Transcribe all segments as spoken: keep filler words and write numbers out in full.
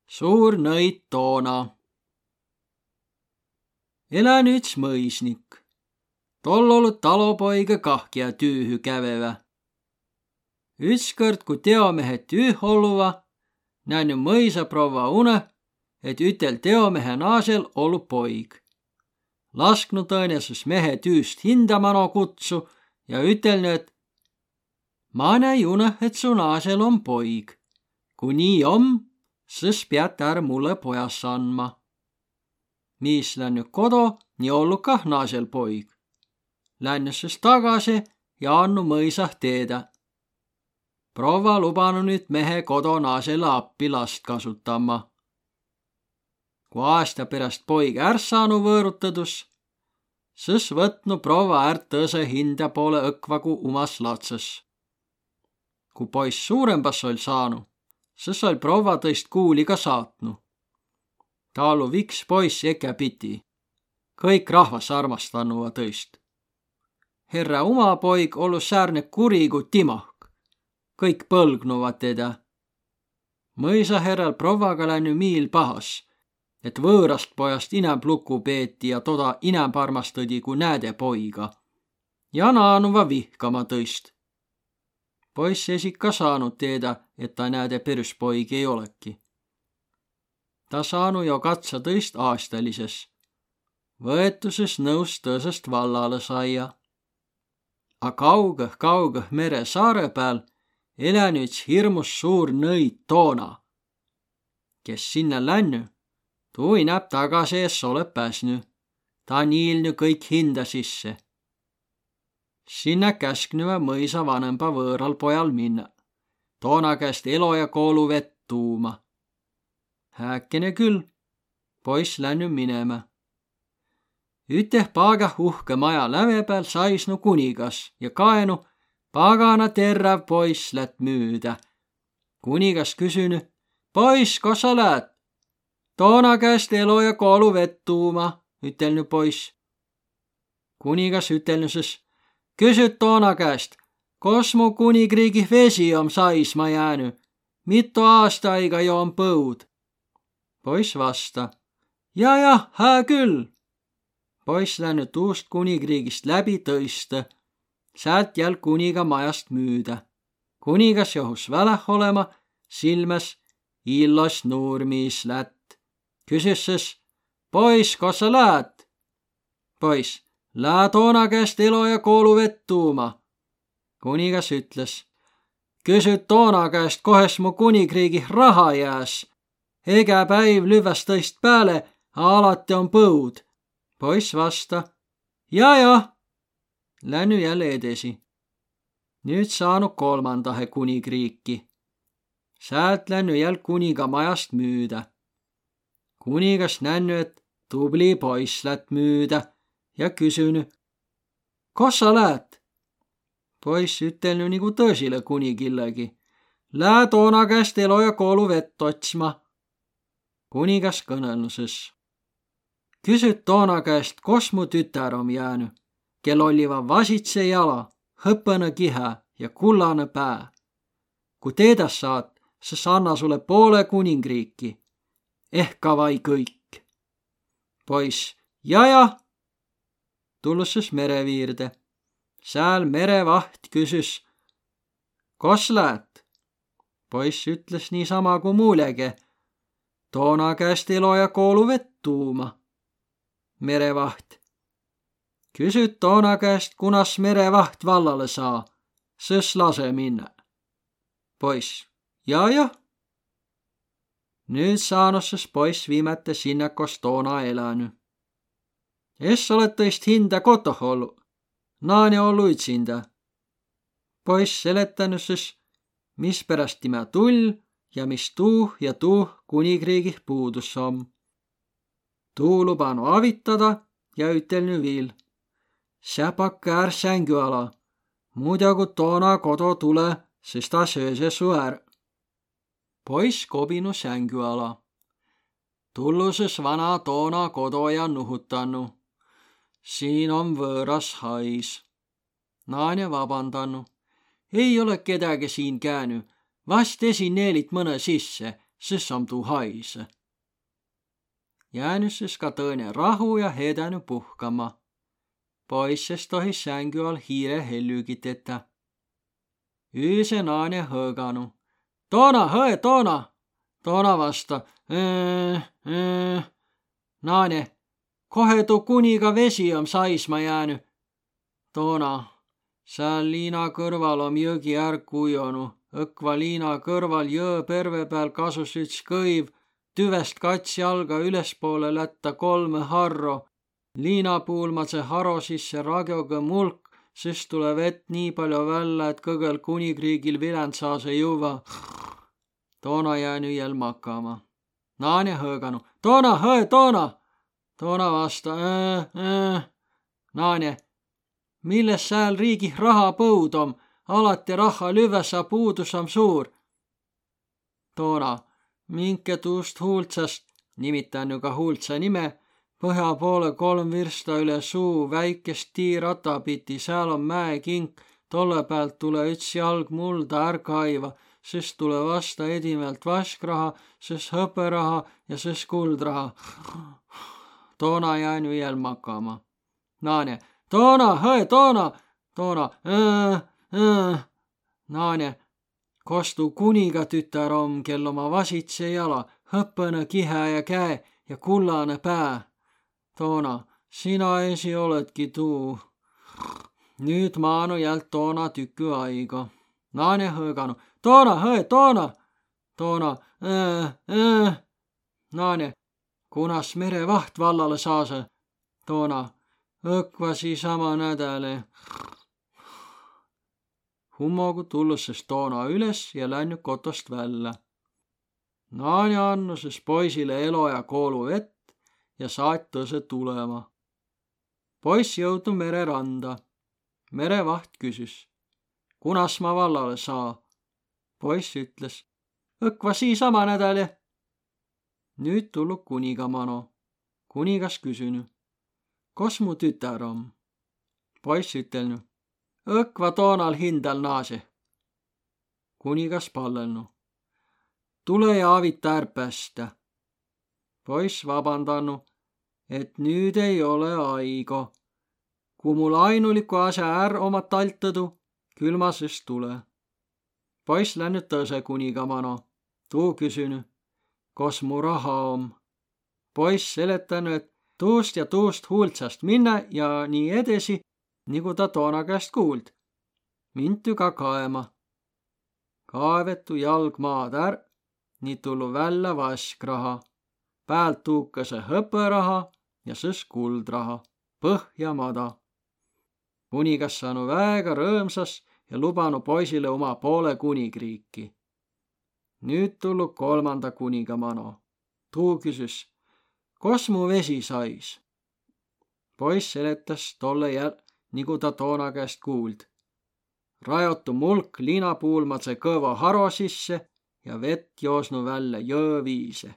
Suur nõid Toona. Elänü üts mõisnik. Toll ollu talopoiga kah, kiä tüühü kävevä. Ütskõrd, ku teomehe tüüh olluva, nännü mõisaprovva unõ, et ütel teomehe naažel ollu poig. Lasknu tõõne sys mehe tüüst hindä mano kutsu ja ütelnü, et: "Ma näi unõ, et su naažel om poig. Ku nii om, sys piät är mullõ pojas andma." Miis lännü kodo, nii ollu kah naažel poig. Lännü sys tagasi ja andnu mõisah teedä: "Provva lubanu nüüt mehe kodo naažele appi last kasutama." Ku aasta peräst poig är saanu vöörutadus, sys võtnu provva är tõsõ hindä poolõ õkva ku umas latsas. Ku poiss suurõmbas oll saanu, sys oll provva tõist kuuli ka saatnu. Taa ollu viks poiss ekä piti. Kõik rahvas armastannuva tõist. Herrä uma poig ollu säärne kuri ku timahk. Kõik põlgnuva tedä. Mõisaherräl provvaga lännü miil pahas, et vöörast pojast inämb luku peeti ja toda inämb armastõdi ku nääde poiga. Ja naanuva vihkama tõist. Poiss esi ka saanu teedä, et ta nääde perüs poig ei olõki. Ta saanu jo katsa tõist aastalises. Võetu sys nõus tõsõst vallalõ saia. A kaugõh, kaugõh mere saarõ pääl elänü üts hirmus suur nõid Toona. Kes sinnä lännü, tuu inämb tagasi es olõ pääsnü. Ta niilnü kõik hindä sisse. Sinnä käsknüvä mõisa vanõmba vööral pojal minnä, Toona käest elo ja koolu vett tuuma. Hääkene kül, poiss lännü minemä. Üteh paagah uhkõ maja läve pääl saisnu kunigas ja kaenu pagana terräv poiss lätt müüdä. Kunigas küsünü: "Poiss, kos sa läät?" "Toona käest elo ja koolu vett tuuma," ütelnü poiss. Kunigas ütelnü sys: "Küsüt Toona käest, kos mu kunigriigih vesi om saisma jäänü, mitu aasta aiga jo om põud." Poiss vasta: "Ja, ja, hää kül." Poiss lännü tuust kunigriigist läbi tõistõ, säält jäl kuniga majast müüdä. Kunigas johus väläh olema, silmäs illos nuur miis lätt. Küsüs sys: "Poiss, kos sa läät?" Poiss: "Lää Toona käest elo ja koolu vett tuuma." Kunigas ütles: "Küsüt Toona käest, kohes mu kunigriigih raha jääs. Egä päiv lüvväs tõist pääle, a alati om põud." Poiss vasta: "Ja, ja." Lännü jälle edesi. Nüüt saanu kolmandahe kunigriiki. Säält lännü jäl kuniga majast müüdä. Kunigas nännü, et tubli poiss lätt müüdä, ja küsünü: "Kos sa läät?" Poiss ütelnü nigu tõsilõ kunigillegi: "Lää Toona käest elo ja koolu vett otsma." Kunigas kõnõlnu sys: "Küsüt Toona käest, kos mu tütär om jäänü, kel olliva vasitse jala, hõpõnõ kihä ja kullanõ pää. Ku teedä saat, sys anna sulõ poolõ kunigriiki. Ehk ka vai kõik." Poiss: "Ja, ja." Tullus sys mere viirde. Sääl merevaht küsüs: "Kos läät?" Poiss ütles niisama ku muulege: "Toona käest elo ja koolu vett tuuma." Merevaht: "Küsüt Toona käest, kunas merevaht vallalõ saa, sys lasõ minnä." Poiss: "Ja, ja." Nüüt saanu sys poiss viimäte sinnä, kos Toona elänü. Es olõ tõist hindä kotoh ollu, naane ollu ütsindä. Poiss seletänü sys, misperäst timä tull ja mis tuuh ja tuuh kunigriigih puudus om. Tuu lubanu avitada ja ütelnü viil: "Sää pakkõ är sängü ala, muido ku Toona kodo tulõ, sys ta sööse su är." Poiss kobinu sängü ala. Tullu sys vana Toona kodo ja nuhutannu: "Siin om vööras hais." Naane vabandannu: "Ei olõ kedäge siin käänü, vast esi neelit mõnõ sisse, Sys om tuu haise. Jäänü sys ka tõõne rahu ja heedänü puhkama. Poiss es tohi sängü all hiire hellügit tetä. Üüse naane hõõganu: Toona, hõe, Toona! Toona vasta: Ää, ää. Naane: Kohe tuu kuniga vesi om saisma jäänü? Toona: Sääl liina kõrval om jõgi är kujonu. Õkva liina kõrval jõõ perve pääl kasus üts kõiv, tüvest kats jalga ülespoole lätta kolmõ harro. Liinapuul mace haro sisse ragjoge mulk, sys tulõ vett nii paljo vällä, et kõgõl kunigriigil vilän saase juvva. Toona jäänü jäl makama. Naane hõõganu: Toona, hõe, Toona! Toona vasta: Ää, ää. Naane: Milles sääl riigih raha põud om? Alati raha lüvväs, a puudus om suur. Toona: Minke tuust Huultsast, nimitännü ka Huultsa nime, pohja poole kolm virsta üle suu väikest tiirata piti, sääl om mäekink, tolle päält tulõ üts jalg mulda är kaiva, sys tulõ vasta edimält vaskraha, sys hõperaha ja sys kuldraha. Toona jäänü jäl makama. Naane: Toona, hõe, Toona! Toona: Ää, ää. Naane: Kos tuu kuniga tütär om, kel omma vasitse jala, hõpõnõ kihä ja käe ja kullanõ pää? Toona: Sina esi olõtki tuu. Nüüt maanu jäl Toona tükü aigo. Naane hõõganu: Toona, hõe, Toona! Toona: Ää, ää. Naane: Kunas merevaht vallalõ saasõ? Toona: Õkva sii sama nädäle. Hummogu tullu sys Toona üles ja lännü kotost vällä. Naane annu sys poisile elo ja koolu vett ja saat tõsõ tulema. Poiss jõudnu mere randa. Merevaht küsüs: Kunas ma vallalõ saa? Poiss ütles: Õkva sii sama nädäle. Nüüt tullu kuniga mano. Kunigas küsünü: Kos mu tütär om? Poiss ütelnü: Õkva Toonal hindäl naase. Kunigas pallelnu: Tule ja avita är pästä. Poiss vabandannu, et nüüd ei ole aigo. Ku mul ainuliku asja är oma taltõdu, kül ma sys tule. Poiss lännü tõsõ kuniga mano. Tuu küsünü: Kos mu raha om? Poiss seletänü, et tuust ja tuust Huultsast minnä ja nii edesi, nigu ta Toona käest kuuld. Mintü ka kaema. Kaevetu jalg maad är, nii tullu vällä vaskraha. Päält tuukase hõpõraha ja sys kuldraha. Põhja mada. Kunigas saanu väega rõõmsas ja lubanu poisile uma poole kunigriiki. Nüüt tullu kolmanda kuniga mano. Tuu küsüs: Kos mu vesi sais? Poiss seletäs tolle jäl, nigu ta Toona käest kuuld. Rajotu mulk liinapuul mace kõvo haro sisse ja vett joosnu vällä jõõ viise.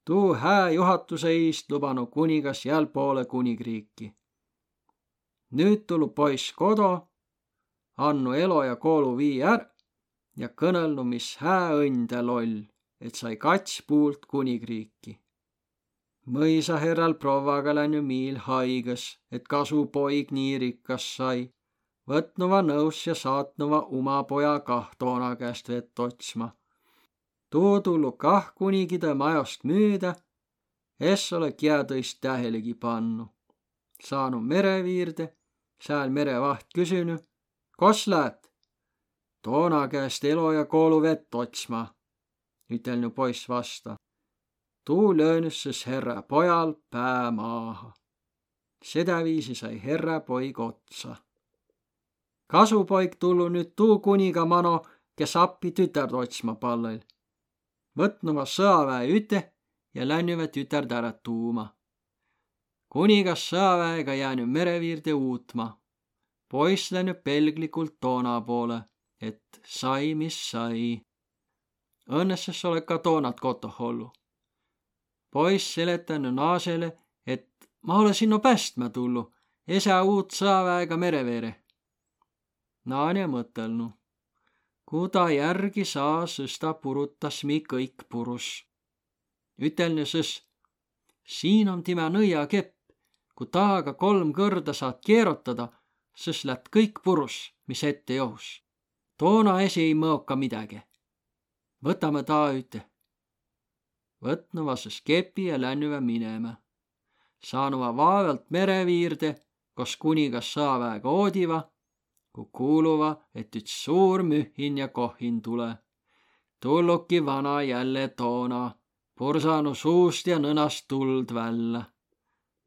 Tuu hää juhatuse iist lubanu kunigas jäl poole kunigriiki. Nüüt tullu poiss kodo, annu elo ja koolu vii är ja kõnõlnu, mis hää õnn täl oll, et sai kats puult kunigriiki. Mõisaherral provvaga lännü miil haigõs, et kasupoig nii rikkas sai. Võtnuva nõus ja saatnuva uma poja kah Toona käest vett otsma. Tuu tullu kah kunigidõ majost müüdä, es ole kiä tõist tähelegi pannu. Saanu mere viirde, sääl merevaht küsünü: Kos läät? Toona käest elo ja koolu vett otsma, ütelnü poiss vasta. Tuu löönüs sys herrä pojal pää maaha. Sedäviisi sai herrä poig otsa. Kasupoig tullu nüüt tuu kuniga mano, kes appi tütärd otsma pallõl. Võtnuva sõaväe üte ja lännüvä tütärd ärä tuuma. Kunigas sõaväega jäänü mere viirde uutma. Poiss lännü pelgligult Toona poole, et sai, mis sai. Õnnes es ole ka Toonat kotoh ollu. Poiss seletänü naasele, et ma ole sinno pästmä tullu, esä uut sõaväega mere veere. Naane mõttelnu: Ku ta järgi saa, sõs ta purutas mi kõik purus. Ütelnü sõs: Siin om timä nõiakepp, ku taaga kolm kõrda saat keerotada, sõs lät kõik purus, mis ette johus. Toona esi ei mõoka midäge. Võtamõ taa üte. Võtnuva sõs kepi ja lännüvä minemä. Saanuva vaevalt mere viirde, kos kuniga sõaväega oodiva, ku kuuluva, et üts suur mühin ja kohin tule. Tulluki vana jälle Toona, pursanu suust ja nõnast tuld vällä.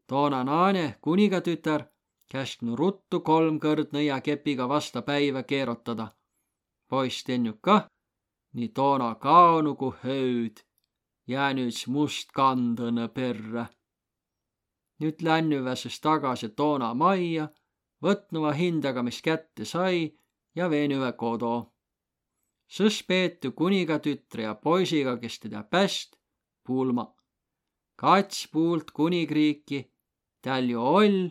Toona naane, kunigatütär, käsknu ruttu kolm kõrd nõiakepiga vasta päivä keerotada. Poiss tennü kah, ni Toona kaonu ku höüd, jäänü üts must kandõnõ perrä. Nüüt lännüvä sõs tagase Toona maija, võtnuva hindaga, mis kätte sai, ja veenüvä kodo. Sõs peetü kunigatütre ja poisiga, kes tedä päst, pulma. Kats puult kunigriiki tääl jo oll,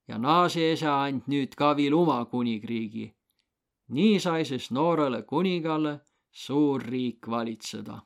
ja naase esä and nüüt ka viil uma kunigriigi. Nii sai sõs noorõlõ kunigalõ suur riik valitsõda.